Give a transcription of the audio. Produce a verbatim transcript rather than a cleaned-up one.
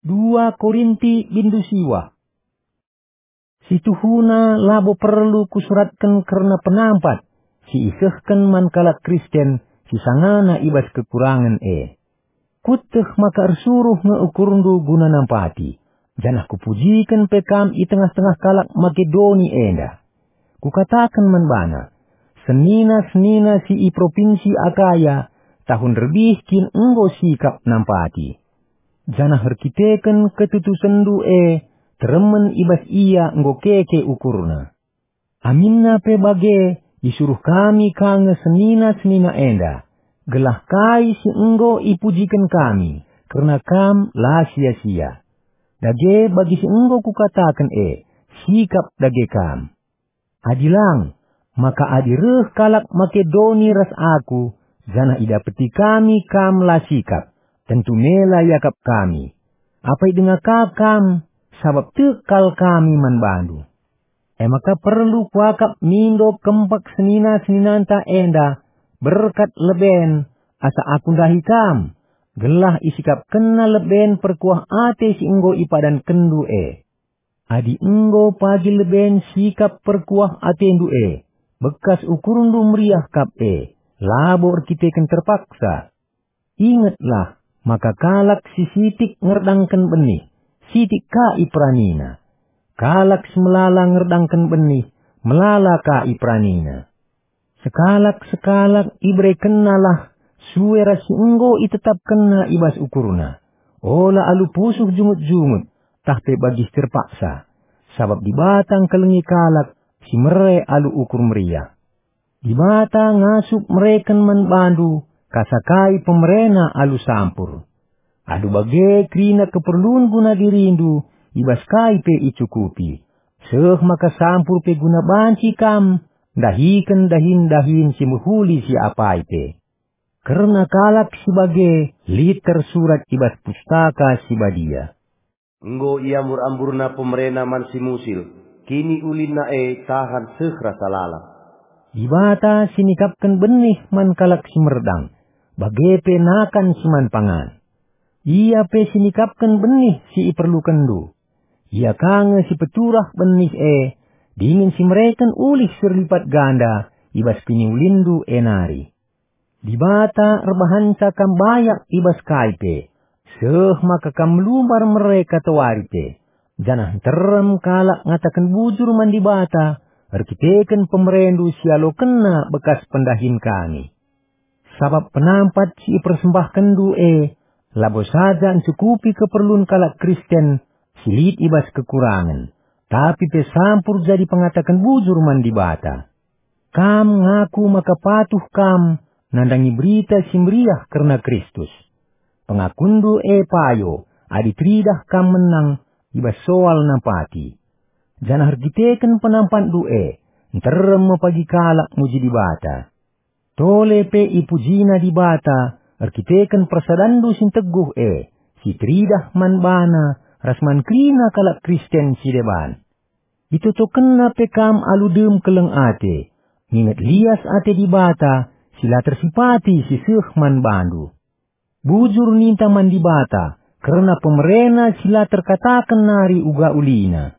Dua Korinti bindu siwah. Situhuna labo perlu kusuratken kerna penampat si isehken man kalak Kristen si sangana i bas kekurangen e. Kueteh maka ersuruh nge ukurndu guna nampati, janah kupujiken pe kam i tengah-tengah kalak Makedoni enda. Kukataken man bana, "Senina-senina si i propinsi Akaya, tahun rebih kin enggo sikap nampati. Janah erkiteken ketutusenndu e, teremen i bas ia enggo keke ukurna." Aminna pe bage, isuruh kami ka nge senina-senina enda, gelah kai si enggo ipujiken kami kerna kam la sia-sia. Dage bagi si enggo kukataken e, sikap dage kam. Adi lang, maka adi reh kalak Makedoni ras aku, janah idapeti kami kam la sikap, tentu mela iakap kami. Apai denga ka kam, sabap tek kal kami man bandu. E maka perlu kuakap mindo kempak senina-seninanta enda berkat leben, asa aku ndahi kam, gelah isikapkenna leben perkuah ate si enggo ipadankenndu e. Adi enggo pagi leben sikap perkuah atendu e, bekas ukurndu meriah kap e, labo erkiteken terpaksa. Ingetlah maka kalak si sitik ngerdangken benih, sitik ka iperanina. Kalak si melala ngerdangken benih, melala ka iperanina. Sekalak-sekalak iberekennalah sue ras si enggo itetapkenna i bas ukurna. Ola alu pusuh jungut-jungut, tah pe bagi si terpaksa, sabap Dibata ngkelengi kalak si mere alu ukur meriah. Dibata ngasup mereken man bandu kasakai pemerena alu sampur. Alu bage kerina keperlun guna dirindu, i bas kai pe icukupi, seh maka sampur pe guna banci kam ndahiken dahin-dahin si mehuli si apai pe. Kerna kalak si bage lit tersurat i bas Pustaka Si Badia, "Enggo iambur-amburna pemerena man si musil, kiniulinna e tahan seh rasa lalap." Dibata si nikapken benih man kalak si merdang, bage pe nakan si man pangan. Ia pe si nikapken benih si iperlukenndu. Ia ka nge si peturah benih e, dingen si mereken ulih si erlipat ganda i bas kiniulinndu e nari. Dibata erbahanca kam bayak i bas kai pe, seh maka kam melumbar mere katawari pe, janah nterem kalak ngataken bujur man Dibata erkiteken pemerendu si alokenna bekas pendahin kami. Sabap penampat si ipersembahkenndu e labo saja ncukupi keperlun kalak Kristen si lit i bas kekurangen, tapi pe sampur jadi pengataken bujur man Dibata. Kam ngaku maka patuh kam nandangi Berita Si Meriah kerna Kristus. Pengakunndu e payo adi teridah kam menang i bas soal nampati. Janah erkiteken penampatndu e, nterem me pagi kalak muji Dibata. Tole pe ipujina Dibata erkiteken persadanndu si nteguh e, si teridah man baNa ras man kerina kalak Kristen si deban. Itotokenna pe kam alu dem keleng ate, nginget lias ate Dibata si la tersipati si seh man bandu. Bujur ninta man Dibata kerna pemerena si la terkataken nari uga ulina.